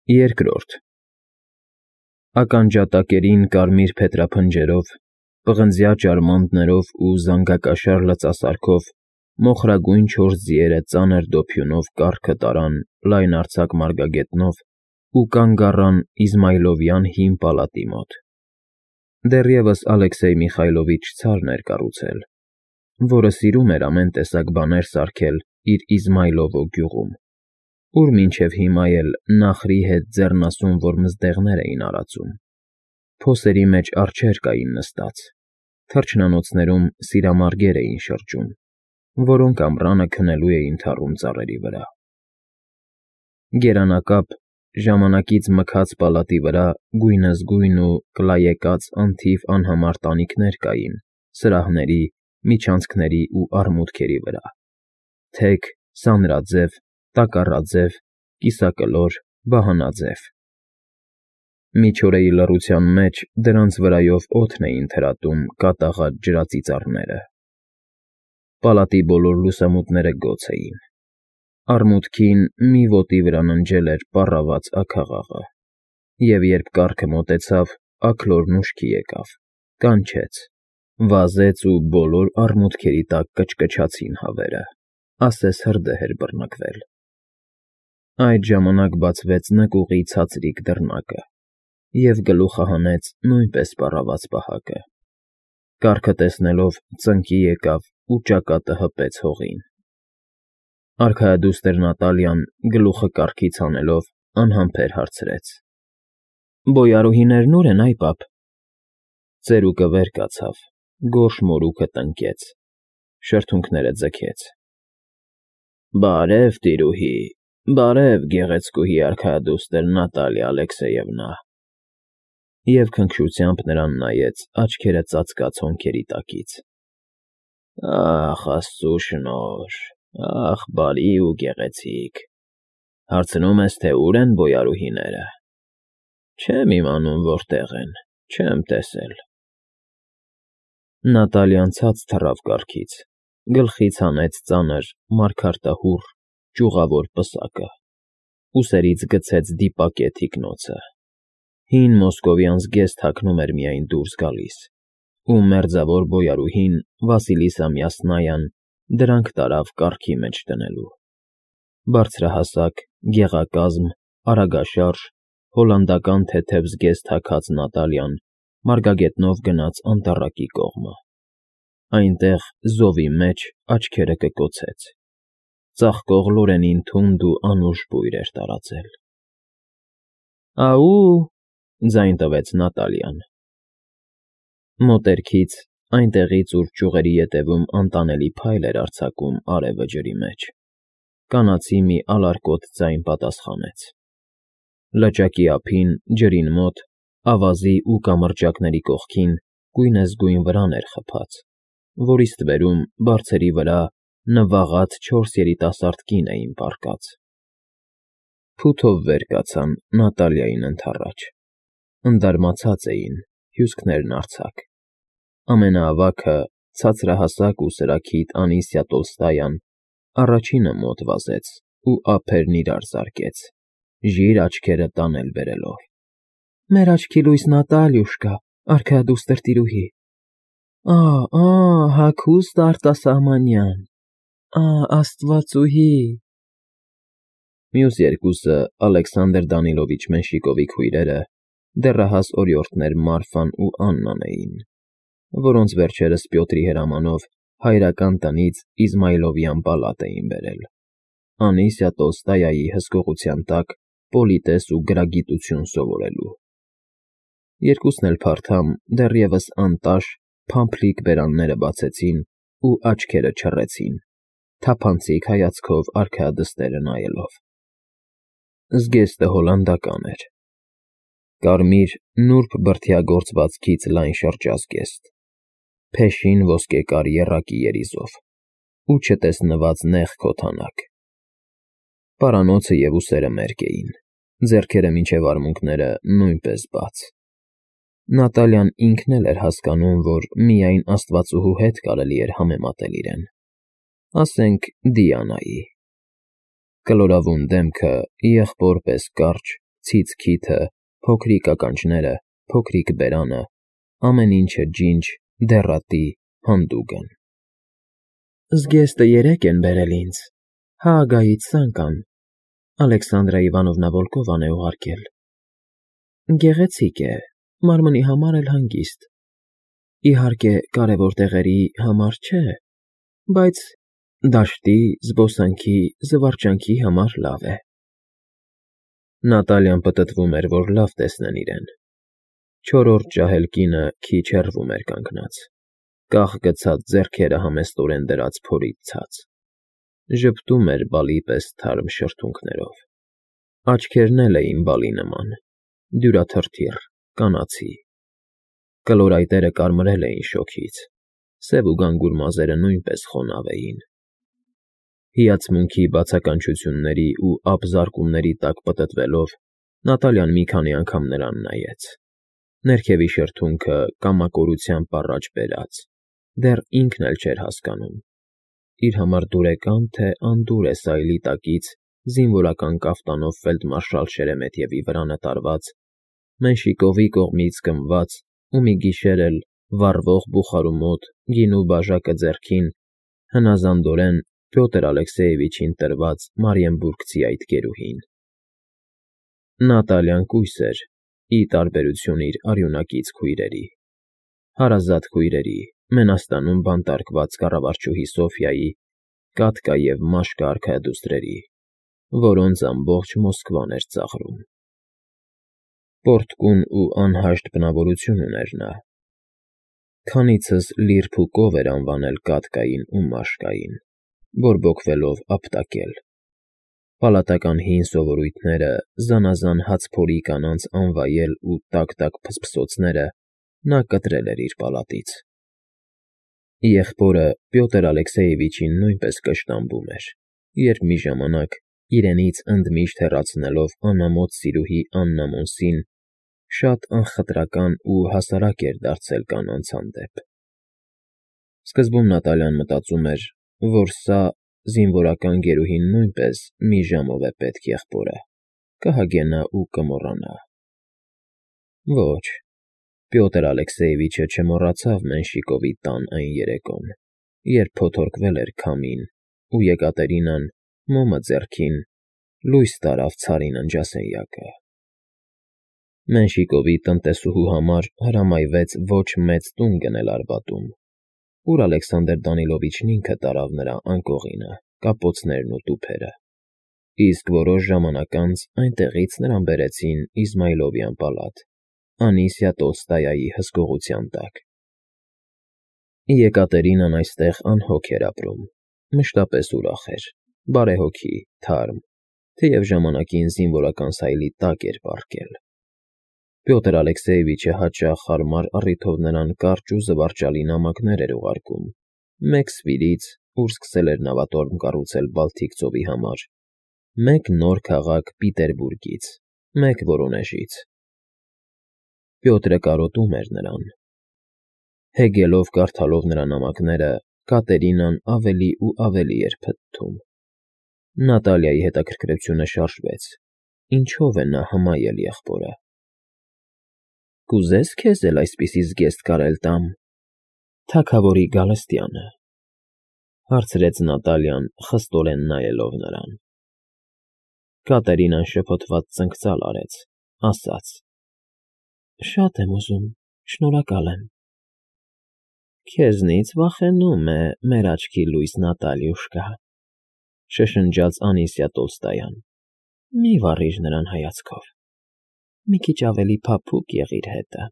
Երկրորդ Ականջատակերին կարմիր փետրափնջերով, պղնձյա ճարմանտներով ու զանգակաշար լծասարքով մոխրագույն 4 ձիերը ծանր դոփյունով կառքը տարան լայնարձակ մարգագետնով ու կանգ առան Իզմայլովյան հին պալատի մոտ։ Դեռևս Ալեքսեյ Միխայլովիչ ցարն էր կառուցել, որը սիրում էր ամեն տեսակ բաներ սարքել իր Իզմայլովո գյուղում, ուր մինչև հիմա էլ նախրի հետ ձեռնասուն որմզդեղներ էին արածում, փոսերի մեջ արջեր կային նստած, թռչնանոցներում սիրամարգեր էին շրջում, որոնք ամռանը քնելու էին թառում ծառերի վրա։ Գերանակապ, ժամանակից մքած պալատի վրա գույնզգույն ու կլայեկած անթիվ անհամար տանիքներ կային սրահների, միջանցքների ու արմուտքերի վրա, թեք, սանրաձև, տակառաձև, կիսակլոր, վահանաձև։ Միջօրեի լռության մեջ դրանց վրայով օդն էին թրատում կատաղած ջրածիծառները։ Պալատի բոլոր լուսամուտները գոց էին։ Արմուտքին մի ոտի վրա ննջել էր պառաված աքաղաղը, և երբ կառքը մոտեցավ, աքլորն ուշքի եկավ, կանչեց, վազեց ու բոլոր արմուտքերի տակ կչկչացին հավերը, ասես հրդեհ էր բռնկվել։ Այդ ժամանակ բացվեց նկուղի ցածրիկ դռնակը, և գլուխը հանեց նույնպես պառաված պահակը։ Կառքը տեսնելով ծնկի եկավ ու ճակատը հպեց հողին։ Արքայադուստր Նատալիան, գլուխը կառքից հանելով, անհամբեր հարցրեց. Բոյարուհիներն ո՞ւր են, այ պապ։ Ծերուկը վեր կացավ, գորշ մորուքը տնկեց, շրթունքները ձգեց։ Բարև, տիրուհի, բարև, գեղեցկուհի արքայադուստր Նատալիա Ալեքսեևնա։ Եվ քնքշությամբ նրան նայեց աչքերը ծածկած հոնքերի տակից։ Ախ, Աստծու շնորհ, ախ, բարի ու գեղեցիկ, հարցնում ես, թե ուր են բոյարուհիները։ Չեմ իմանում որտեղ են, չեմ տեսել։ Նատալիան ցած թռավ կառքից, գլխից հանեց ծանր, մարգարտահուռ, ճյուղավոր պսակը, ուսերից գցեց դիպակե թիկնոցը։ Հին մոսկովյան զգեստ հագնում էր միայն դուրս գալիս, ու մերձավոր բոյարուհին Վասիլիսա Մյասնայան դրանք տարավ կառքի մեջ դնելու։ Բարձրահասակ, գեղակազմ, արագաշարժ, հոլանդական թեթև զգեստ հագած Նատալիան մարգագետնով գնաց անտառակի կողմը։ Այնտեղ, զովի մեջ, աչքերը կկոցեց։ Ծաղկող լորենին թունդ ու անուշ բույր էր տարածել։ Աու, ձայն տվեց Նատալիան։ Մոտերքից, այնտեղից, ուր ճյուղերի ետևում անտանելի փայլ էր արձակում արևը ջրի մեջ, կանացի մի ալարկոտ ձայն պատասխանեց։ Լճակի ափին, ջրին մոտ, ավազի ու կամրջակների կողքին գույնզգույն վրան էր խփած, որի ստվերում, բարձերի վրա, նվաղած 4 երիտասարդ կին էին պառկած։ Փութով վեր կացան Նատալիային ընդառաջ։ Ընդարմացած էին, հյուսքներն արձակ։ Ամենաավագը, ցածրահասակ ու սրաքիթ Անիսիա Տոլստայան, առաջինը մոտ վազեց ու ափերն իրար զարկեց, ժիր աչքերը տանել բերելով։ Մեր աչքի լույս Նատալյուշկա, արքայադուստր տիրուհի։ Հագուստ արտասահմանյան, աստվածուհի։ Մյուս երկուսը Ալեքսանդր Դանիլովիչ Մենշիկովի քույրերը, դեռահաս օրիորդներ Մարֆան ու Աննան էին, որոնց վերջերս Պյոտրի հրամանով հայրական տնից Իզմայլովյան պալատ էին բերել, Անիսիա Տոլստայայի հսկողության տակ պոլիտես ու գրագիտություն սովորելու։ Երկուսն էլ փարթամ, դեռևս անտաշ, փամփլիկ բերանները բացեցին ու աչքերը չռեցին, թափանցիկ հայացքով արքայադստերը նայելով։ Զգեստը հոլանդական էր։ Կարմիր, նուրբ բրդյա լայն շրջազգեստ, փեշին ոսկեկար եռակի երիզով ու չտեսնված նեղ քոթանակ։ Պարանոցը և ուսերը մերկ էին, ձեռքերը մինչև արմունկները նույնպես բաց։ Նատալիան ինքն էլ էր հասկանում, որ միայն աստվածուհու հետ կարելի էր համեմատել իրեն, ասենք Դիանայի։ Կլորավուն դեմքը, եղբոր պես կարճ, Ցից քիթը, փոքրիկ ականջները, փոքրիկ բերանը, ամեն ինչը ջինջ, դեռատի, հանդուգն։ Զգեստը 3 են բերել ինձ, Հաագայից Սանկան, Ալեքսանդրա Իվանովնա Վոլկովան է ուղարկել։ Գեղեցիկ է, մարմնի համար էլ հանգիստ։ Իհարկե, կարևոր տեղերի համար չէ, բայց դաշտի, զբոսանքի, զվարճանքի համար լավ է։ Նատալիան պտտվում էր, որ լավ տեսնեն իրեն։ 4-րդ ջահել կինը քիչ հեռվում էր կանգնած, կախ գցած ձեռքերը համեստորեն դրած փորից ցած, ժպտում էր բալի պես թարմ շրթունքներով, աչքերն էլ էին բալի նման, դյուրաթրթիռ, կանացի, կլորայտերը կարմրել էին շոգից, սև ու գանգուր մազերը նույնպես խոնավ էին։ Հիացմունքի բացականչությունների ու ափզարկումների տակ պտտվելով Նատալիան մի քանի անգամ նրան նայեց, ներքևի շրթունքը կամակորությամբ առաջ բերած, դեռ ինքն էլ չէր հասկանում, իր համար դուրեկան թե անդուր է սայլի տակից զինվորական կաֆտանով ֆելդմարշալ Շերեմեթևի վրա նտարված, Մենշիկովի կողմից կնված ու մի գիշեր էլ վառվող բուխարու մոտ գինու բաժակը ձեռքին հնազանդորեն Պյոտր Ալեքսեևիչին տրված Մարիենբուրգցի այդ գերուհին։ Նատալիան կույս էր, ի տարբերություն իր արյունակից քույրերի, հարազատ քույրերի, Մենաստանում բանտարկված կառավարչուհի Սոֆիայի, Կատկա և Մաշկա արքայադուստրերի, որոնց ամբողջ Մոսկվան էր ծաղրում։ Պորտկուն ու անհաշտ բնավորություն ուներ նա։ Քանիցս լիրբ ու կով էր անվանել Կատկային ու Մաշկային, բորբոքվելով ապտակել։ Պալատական հին սովորույթները, զանազան հացփորի կանանց անվայել ու տաք-տաք փսփսոցները նա կտրել էր իր պալատից։ Եղբորը Պյոտր Ալեքսեևիչին նույնպես կշտամբում էր, երբ մի ժամանակ, իրենից ընդմիշտ հեռացնելով անամոթ սիրուհի Աննա Մոնսին, շատ անխտրական ու հասարակ էր դարձել կանանց հանդեպ։ Սկզբում Նատալիան մտածում էր, որ սա զինվորական գերուհին նույնպես մի ժամով է պետք եղբորը, կհագենա ու կմոռանա։ Ոչ, Պյոտր Ալեքսեևիչը չմոռացավ Մենշիկովի տան այն երեկոն, երբ փոթորկվել էր քամին, ու Եկատերինան, մոմը ձեռքին, լույս տարավ ցարին ննջասենյակը։ Մենշիկովի տնտեսուհու համար հրամայվեց ոչ մեծ տուն գնել Արբատում, ուր Ալեքսանդր Դանիլովիչն ինքը տարավ նրա անկողինը, կապոցներն ու տուփերը, իսկ որոշ ժամանակ անց այնտեղից նրան բերեցին Իզմայլովյան պալատ, Անիսիա Տոլստոյայի հսկողության տակ։ Եկատերինան այստեղ անհոգ էր ապրում, մշտապես ուրախ էր, բարեհոգի, թարմ, թեև ժամանակին զինվորական սայլի տակ էր պառկել։ Պյոտր Ալեքսեևիչը հաճախ հարմար առիթով նրան կարճ ու զվարճալի նամակներ էր ուղարկում, մեկ Սվիրից, ուր սկսել էր նավատորմ կառուցել Բալթիկ ծովի համար, մեկ նոր քաղաք Պիտերբուրգից, մեկ Վորոնեժից։ Պյոտրը կարոտում էր նրան։ Հեգելով կարդալով նրա նամակները, Կատերինան ավելի ու ավելի էր փթթում։ Նատալիայի հետաքրքրությունը շարժվեց. ինչով է նա հմայել եղբորը։ Կուզե՞ս քեզ էլ այսպիսի զգեստ կարել տամ, թագավորի Գալստյանը, հարցրեց Նատալիան, խստորեն նայելով նրան։ Կատերինան շփոթված ծնկծալ արեց, ասաց. Շատ եմ ուզում, շնորհակալ եմ։ Քեզնից վախենում է մեր աչքի լույս Նատալյուշկա, շշնջաց Անիսիա Տոլստոյան, մի վառիր նրան հայացքով, մի քիչ ավելի փափուկ եղիր հետը։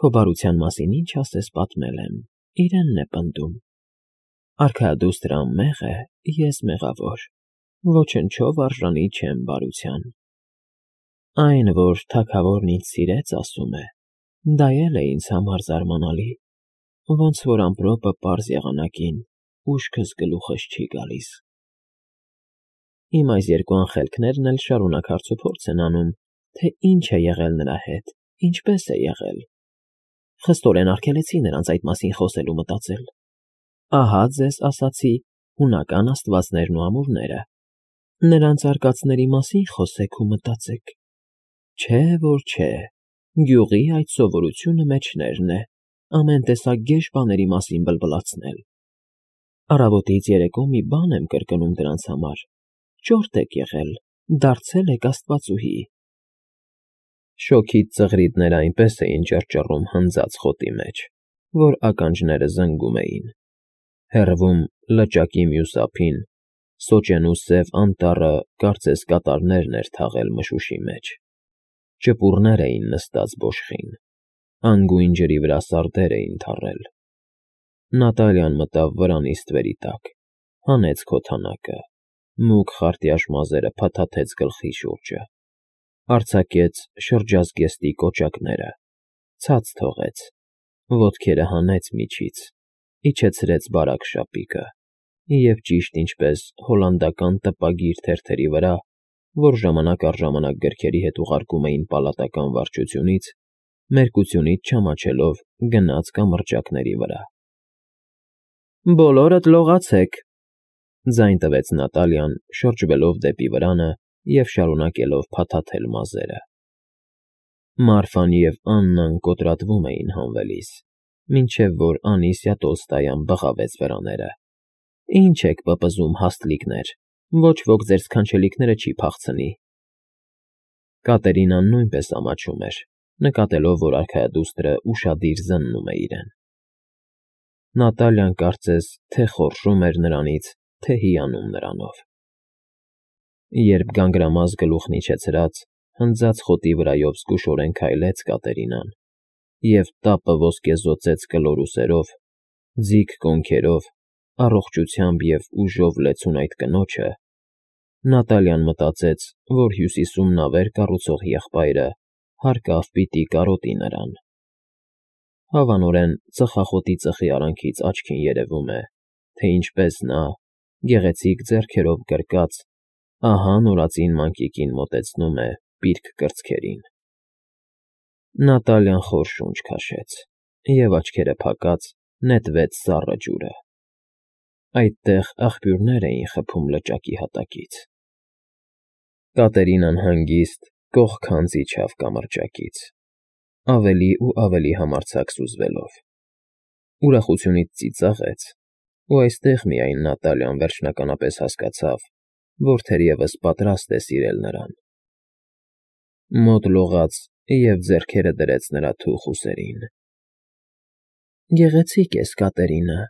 Քո բարության մասին ինչ ասես պատմել եմ, իրենն է պնդում։ Արքայադուստրը անմեղ է, ես մեղավոր, ոչնչով արժանի չեմ բարության։ Այն, որ թագավորն ինձ սիրեց, ասում է, դա էլ է ինձ համար զարմանալի, ոնց որ ամպրոպը պարզ եղանակին, ուշքս գլուխս չի գալիս։ Իմ այս երկու անխելքներն էլ շարունակ հարցուփորձ են անում, թե ինչ է եղել նրա հետ, ինչպես է եղել։ Խստորեն արգելեցի նրանց այդ մասին խոսել ու մտածել։ Ահա ձեզ ասացի հունական աստվածներն ու ամուրները։ Նրանց արկածների մասին խոսեք ու մտածեք, Չէ, որ չէ, գյուղի այդ սովորությունը մեջներն է, ամեն տեսակ գեշ բաների մասին բլբլացնել։ Առավոտից երեկո մի բան եմ կրկնում դրանց համար. ճորտ եք եղել, դարձել եք աստվածուհի։ Շոգից ծղրիդները այնպես էին ճռճռում հնձած խոտի մեջ, որ ականջները զնգում էին։ Հեռվում լճակի մյուս ափին սոճենու սև անտառը կարծես կատարներն էր թաղել մշուշի մեջ։ Ճպուռներ էին նստած բոշխին, անգույն ջրի վրա սարդեր էին թառել։ Նատալիան մտավ վրանի ստվերի տակ, հանեց քոթանակը, մուգ խարտյաշ մազերը փաթաթեց գլխի շուրջը, արձակեց շրջազգեստի կոճակները, ցած թողեց, ոտքերը հանեց միջից, իջեցրեց բարակ շապիկը և ճիշտ ինչպես հոլանդական տպագիր թերթերի վրա, որ ժամանակ առ ժամանակ գրքերի հետ ուղարկում էին պալատական վարչությունից, մերկությունից չամաչելով գնաց կամրջակների վրա։ Բոլորդ լողացեք, ձայն տվեց Նատալիան, շրջվելով դեպի վրանը և շարունակելով փաթաթել մազերը։ Մարֆան և Աննան կոտրատվում էին հանվելիս, մինչև որ Անիսիա Տոլստոյան բղավեց վրաները։ Ինչ եք պպզում, հաստլիկներ, ոչ ոք ձեր սքանչելիքները չի փախցնի։ Կատերինան նույնպես ամաչում էր, նկատելով, որ արքայադուստրը ուշադիր զննում է իրեն։ Նատալիան կարծես թե խորշում էր նրանից, թե հիանում նրանով։ Երբ գանգրամազ գլուխն իջեցրած, հնձած խոտի վրայով զգուշորեն քայլեց Կատերինան և տապը ոսկեզօծեց կլոր ուսերով, ձիգ կոնքերով, առողջությամբ և ուժով լեցուն այդ կնոջը, Նատալիան մտածեց, որ Հյուսիսում նավեր կառուցող եղբայրը հարկավ պիտի կարոտի նրան։ Հավանորեն ծխախոտի ծխի արանքից աչքին երևում է, թե ինչպես նա, գեղեցիկ ձեռքերով գրկած, ահա նորածին մանկիկին մոտեցնում է պիրկ կրծքերին։ Նատալիան խոր շունչ քաշեց և աչքերը փակած նետվեց սառը ջուրը։ Այդտեղ աղբյուրներ էին խփում լճակի հատակից։ Կատերինան հանգիստ կողքանց իջավ կամրջակից, ավելի ու ավելի համարձակ սուզվելով։ Ուրախությունից ծիծաղեց, ու այստեղ միայն Նատալիան վերջնականապես հասկացավ, որ թերևս պատրաստ է սիրել նրան։ Մոտ լողաց և ձեռքերը դրեց նրա թուխ ուսերին։ Գեղեցիկ ես, Կատերինա,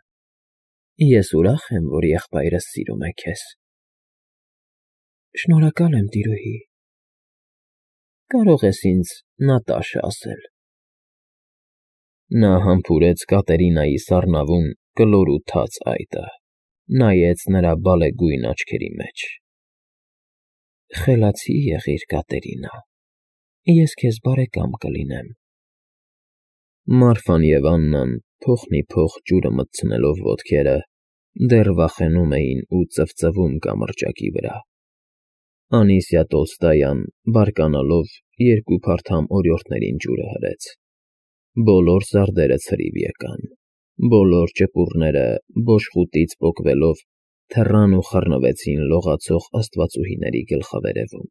ես ուրախ եմ, որ եղբայրս սիրում է քեզ։ Շնորհակալ եմ, տիրուհի։ Կարող ես ինձ Նատաշը ասել։ Նա համբուրեց Կատերինայի սառնավուն կլոր ու թաց այտը, նայեց նրա բալեգույն աչքերի մեջ։ Խելացի եղիր, Կատերինա, ես քեզ բարեկամ կլինեմ։ Մարֆան և Աննան, փոխնիփոխ ջուրը մտցնելով ոտքերը, դեռ վախենում էին ու ծվծվում կամրջակի վրա։ Անիսիա Տոլստոյան, բարկանալով, երկու փարթամ օրիորդներին ջուրը հրեց։ Բոլոր սարդերը ցրիվ եկան, բոլոր ճպուռները բոշխուտից պոկվելով թռան ու խռնվեցին լողացող աստվածուհիների գլխավերևում։